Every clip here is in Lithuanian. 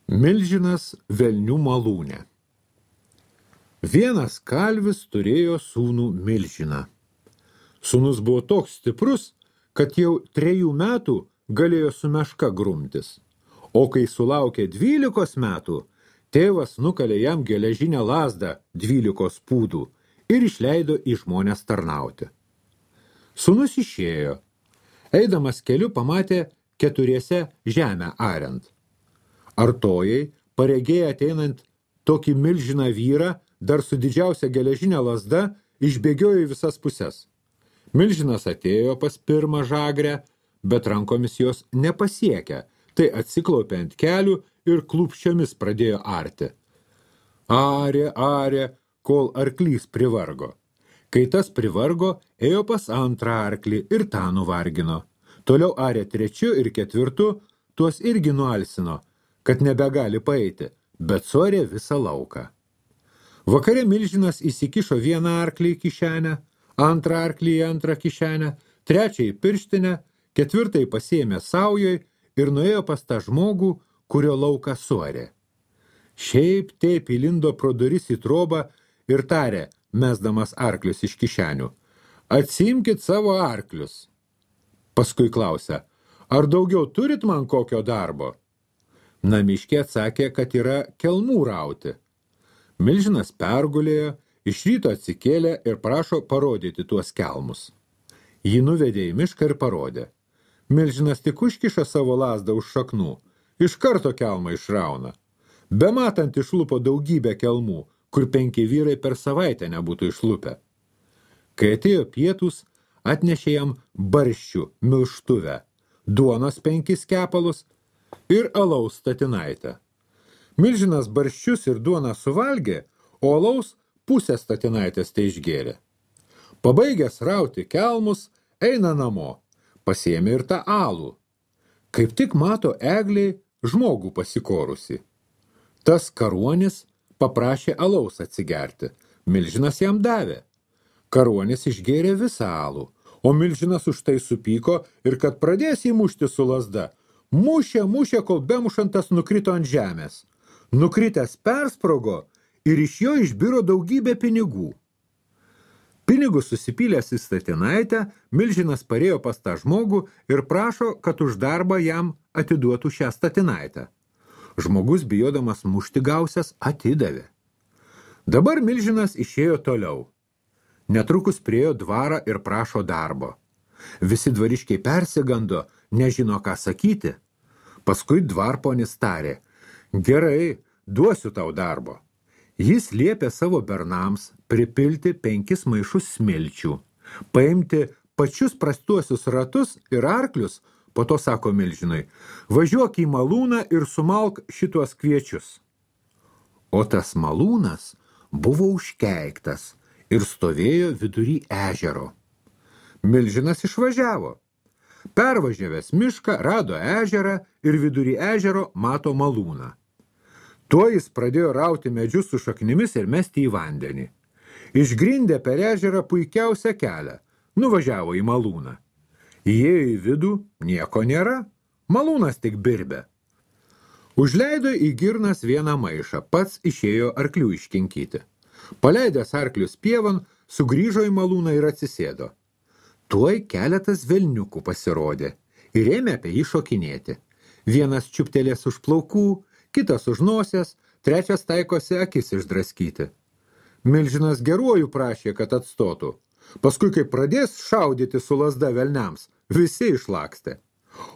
Milžinas velnių malūne. Vienas kalvis turėjo sūnų Milžiną. Sūnus buvo toks stiprus, kad jau 3 metų galėjo su meška grumtis. O kai sulaukė 12 metų, tėvas nukalė jam geležinę lazdą 12 pūdų ir išleido į žmones tarnauti. Sūnus išėjo. Eidamas keliu pamatė 4 žemę ariant. Artojai, paregėję ateinant tokį milžiną vyrą, dar su didžiausia geležinė lazda, išbėgiojo į visas puses. Milžinas atėjo pas pirmą žagrę, bet rankomis jos nepasiekia, tai atsiklaupė ant kelių ir klupščiomis pradėjo arti. Arė, kol arklys privargo. Kai tas privargo, ėjo pas antrą arklį ir tą nuvargino. Toliau arė 3 ir 4, tuos irgi nualsino, kad nebegali paeiti, bet suarė visą lauką. Vakare Milžinas įsikišo vieną arklį į kišenę, antrą arklį į antrą kišenę, 3 į pirštinę, 4 pasiėmė saujoj ir nuėjo pas tą žmogų, kurio lauką suarė. Šiaip taip įlindo pro duris į trobą ir tarė, mesdamas arklius iš kišenių: "Atsiimkit savo arklius." Paskui klausė: "Ar daugiau turit man kokio darbo?" Namiškė atsakė, kad yra kelmų rauti. Milžinas pergulėjo, iš ryto atsikėlė ir prašo parodyti tuos kelmus. Jį nuvedė į mišką ir parodė. Milžinas tik užkiša savo lazdą už šaknų, iš karto kelmą išrauna. Bematant išlupo daugybę kelmų, kur 5 vyrai per savaitę nebūtų išlupę. Kai atėjo pietūs, atnešė jam barščių milštuvę, duonos 5 kepalus ir alaus statinaitę. Milžinas barščius ir duoną suvalgė, o alaus pusę statinaitės tai išgėrė. Pabaigęs rauti kelmus, eina namo, pasiėmė ir tą alų. Kaip tik mato egliai žmogų pasikorusi. Tas karuonis paprašė alaus atsigerti, Milžinas jam davė. Karuonis išgėrė visą alų, o Milžinas už tai supyko ir kad pradės jį mušti su lazda, mušė, kol bemušantas nukrito ant žemės. Nukritęs persprogo ir iš jo išbiro daugybė pinigų. Pinigus susipylęs į statinaitę, Milžinas parėjo pas tą žmogų ir prašo, kad už darbą jam atiduotų šią statinaitę. Žmogus, bijodamas mušti gausias, atidavė. Dabar Milžinas išėjo toliau. Netrukus priėjo dvarą ir prašo darbo. Visi dvariškiai persigando, nežino ką sakyti. Paskui dvarponis tarė: "Gerai, duosiu tau darbo." Jis liepė savo bernams pripilti 5 maišus smilčių, paimti pačius prastuosius ratus ir arklius, po to sako Milžinui: "Važiuok į malūną ir sumalk šituos kviečius." O tas malūnas buvo užkeiktas ir stovėjo vidury ežero. Milžinas išvažiavo. Pervažiavęs mišką, rado ežerą ir vidury ežero mato malūną. Tuo jis pradėjo rauti medžius su šaknimis ir mesti į vandenį. Išgrindė per ežerą puikiausią kelią, nuvažiavo į malūną. Įėjo į vidų, nieko nėra, malūnas tik birbė. Užleido į girnas vieną maišą, pats išėjo arklių iškinkyti. Paleidęs arklius pievan, sugrįžo į malūną ir atsisėdo. Tuoj keletas velniukų pasirodė ir ėmė apie jį šokinėti. Vienas čiuptelės už plaukų, kitas už nosies, 3 taikosi akis išdraskyti. Milžinas geruoju prašė, kad atstotų. Paskui, kai pradės šaudyti su lazda velniams, visi išlakstė.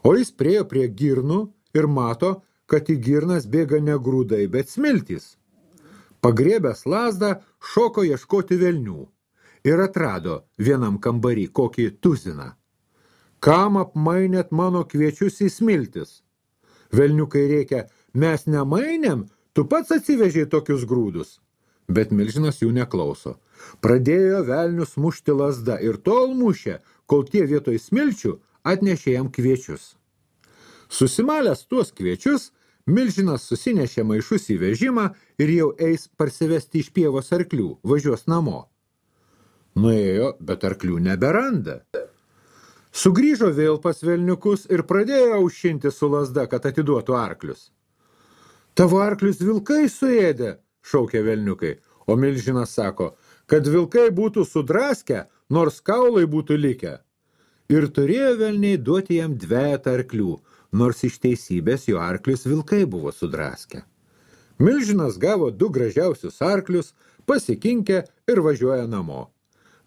O jis priėjo prie girnų ir mato, kad į girnas bėga ne grūdai, bet smiltys. Pagriebęs lazdą, šoko ieškoti velnių ir atrado vienam kambarį kokį tuziną. "Kam apmainėt mano kviečius į smiltis?" Velniukai rėkia: "Mes nemainėm, tu pats atsivežei tokius grūdus." Bet Milžinas jų neklauso. Pradėjo velnius mušti lazda ir tol mušė, kol tie vietoj smilčių atnešė jam kviečius. Susimalęs tuos kviečius, Milžinas susinešė maišus į vežimą ir jau eis parsivesti iš pievos arklių, važiuos namo. Nuėjo, bet arklių neberanda. Sugrįžo vėl pas velniukus ir pradėjo aušinti su lazda, kad atiduotų arklius. Tavo arklius vilkai suėdė, šaukė velniukai, o milžinas sako, kad vilkai būtų sudraskę, nors kaulai būtų likę. Ir turėjo velniai duoti jam dvejetą arklių, nors iš teisybės jo arklius vilkai buvo sudraskę. Milžinas gavo 2 gražiausius arklius, pasikinkė ir važiuoja namo.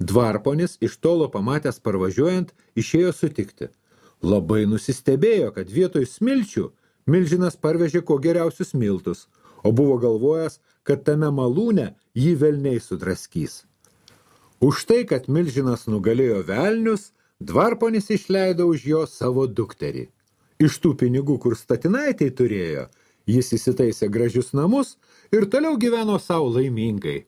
Dvarponis iš tolo pamatęs parvažiuojant išėjo sutikti. Labai nusistebėjo, kad vietoj smilčių milžinas parvežė kuo geriausius miltus, o buvo galvojęs, kad tame malūne jį velniai sudraskys. Už tai, kad milžinas nugalėjo velnius, dvarponis išleido už jo savo dukterį. Iš tų pinigų, kur statinaitei turėjo, jis įsitaisė gražius namus ir toliau gyveno sau laimingai.